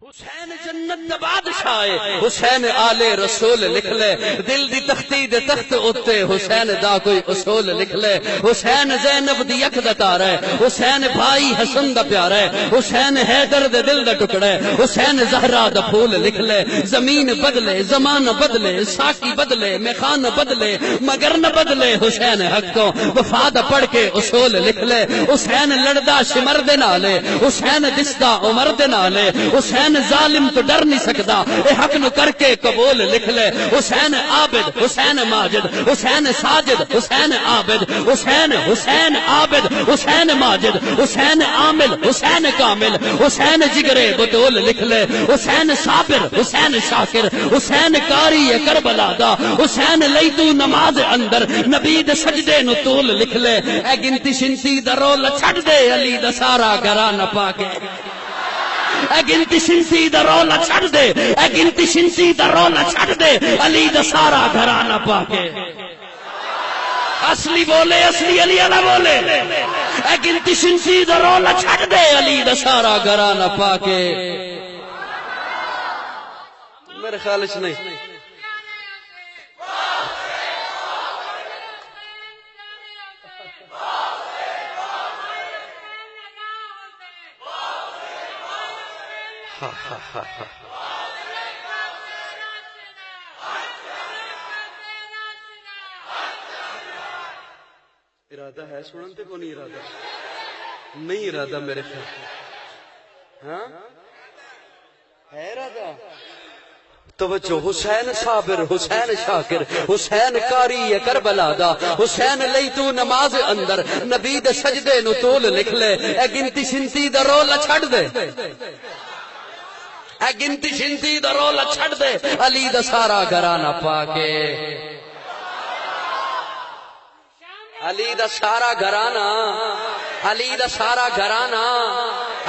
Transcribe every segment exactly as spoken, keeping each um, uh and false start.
حسین جنت دا بادشاہ ہے، حسین آل رسول لکھ لے۔ دل دی تختی دے تخت اُتے حسین دا کوئی اصول لکھ لے۔ حسین زینب دی اکھ دا تارا ہے، حسین بھائی حسن دا پیارا ہے، حسین حیدر دے دل دا ٹکڑا ہے، حسین زہرا دا پھول لکھ لے۔ زمین بدلے، زمانہ بدلے، ساقی بدلے، میخانہ بدلے، مگر نہ بدلے حسین حق تو۔ وفا دا پڑھ کے اصول لکھ لے۔ حسین لڑدا شمر دے نالے، حسین دسدا عمر دے نالے، حسین ظالم تو ڈر نہیں سکدا، اے حق نو کر کے قبول لکھ لے۔ حسین عابد، حسین ماجد، حسین ساجد، حسین عابد، حسین، حسین عابد، حسین ماجد، حسین عامل، حسین کامل، حسین جگرے بتول لکھ لے۔ حسین صابر، حسین شاکر، حسین قاری کربلا دا، حسین لئی تو نماز اندر، نبی دے سجدے نو تول لکھ لے۔ اے گنتی شنتی دا رول چھڈ دے، علی دا سارا گھرانہ پا کے۔ اے گنتی شنتی دا رول چھڈ دے، اے گنتی شنتی دا رول چھڈ دے، علی دا سارا گھرانہ پا کے۔ اصلی بولے، اصلی علی والا بولے۔ اے گنتی شنتی دا رول چھڈ دے، علی دا سارا گھرانہ پا کے۔ میرے خیال چ نہیں۔ ارادہ ہے سنن تے کونی ارادہ؟ نہیں ارادہ میرے خیال۔ ہاں؟ ہے ارادہ؟ توجہ، حسین صابر، حسین شاکر، حسین قاری کربلا دا، حسین لئی تو نماز اندر، نبی دے سجدے نو تول لکھ لے۔ اے گنتی شنتی دا رول چھڈ دے، اے گنتی شنتی دا رول چھڈ دے، علی دا سارا گھرانہ پا کے۔ علی دا سارا گھرانہ، علی دا سارا گھرانہ،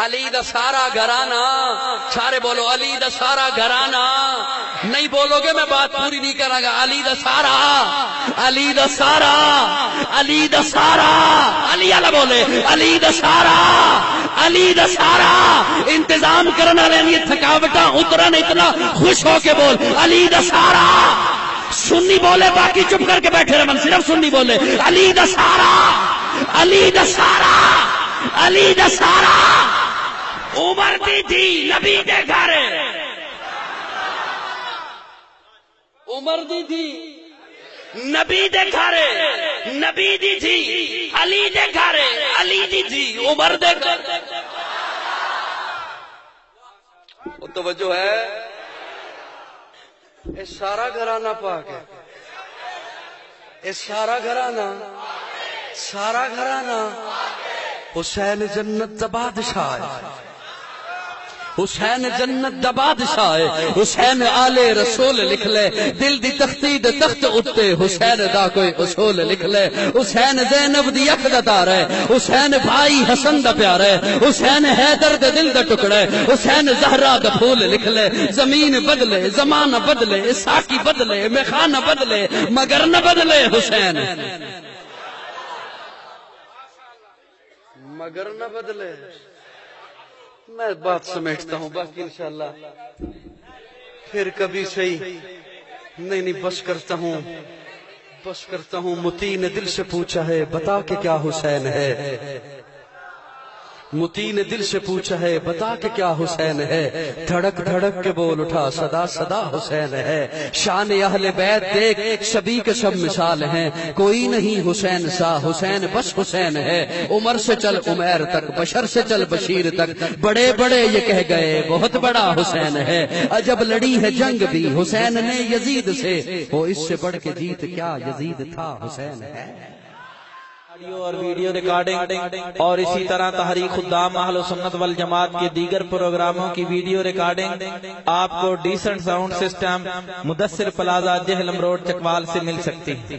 علی دا سارا گھرانہ۔ سارے بولو، علی دا سارا گھرانہ۔ نہیں بولو گے، میں بات پوری نہیں کراں گا۔ علی دا سارا، علی دا سارا، علی دا سارا، علی والا بولے، علی دا سارا، علی دا سارا۔ انتظام کرن والے دی تھکاوٹاں اترن، اتنا خوش ہو کے بول، علی دا سارا۔ سنی بولے، باقی چپ کر کے بیٹھے رہن، صرف سنی بولے۔ علی دا سارا، علی دا سارا، علی دا سارا۔ عمر دی دھی نبی دے گھر، عمر دی دھی نبی دے گھر، نبی دی دھی علی دے گھر، علی دی دھی عمر دے گھر۔ وہ توجہ ہے؟ اے سارا گھرانہ پاک ہے۔ اے سارا گھرانہ، سارا گھرانہ حسین جنت دا بادشاہ ہے۔ حسین جنت دا بادشاہ ہے۔ حسین آل رسول لکھ لے، دل دی تختی دے تخت اُتے حسین دا کوئی اصول لکھ لے۔ حسین زینب دی اکھ دا تارا ہے، حسین بھائی حسن دا پیارا ہے، حسین حیدر دے دل دا ٹکڑا ہے، حسین زہرا دا پھول لکھ لے۔ زمین بدلے، زمانہ بدلے، ساقی بدلے، میخانہ بدلے، مگر نہ بدلے حسین۔ مگر نہ بدلے۔ میں بات سمیٹتا ہوں، باقی انشاءاللہ پھر کبھی صحیح۔ نہیں، نہیں، بس کرتا ہوں، بس کرتا ہوں۔ متی نے دل سے پوچھا ہے، بتا کہ کیا حسین ہے۔ متی نے دل سے پوچھا ہے، بتا کہ کیا حسین ہے۔ دھڑک دھڑک کے بول اٹھا، صدا صدا حسین ہے۔ شان اہل بیت دیکھ، سبھی کے سب مثال ہیں۔ کوئی نہیں حسین سا، حسین بس حسین ہے۔ عمر سے چل عمیر تک، بشر سے چل بشیر تک، بڑے بڑے یہ کہہ گئے، بہت بڑا حسین ہے۔ عجب لڑی ہے جنگ بھی حسین نے یزید سے، وہ اس سے بڑھ کے جیت کیا یزید تھا، حسین ہے۔ آڈیو اور ویڈیو ریکارڈنگ اور اسی طرح تحریک خدام اہل سنت والجماعت کے دیگر پروگراموں کی ویڈیو ریکارڈنگ آپ کو ڈیسنٹ ساؤنڈ سسٹم، مدثر پلازہ، جہلم روڈ، چکوال سے مل سکتی ہے۔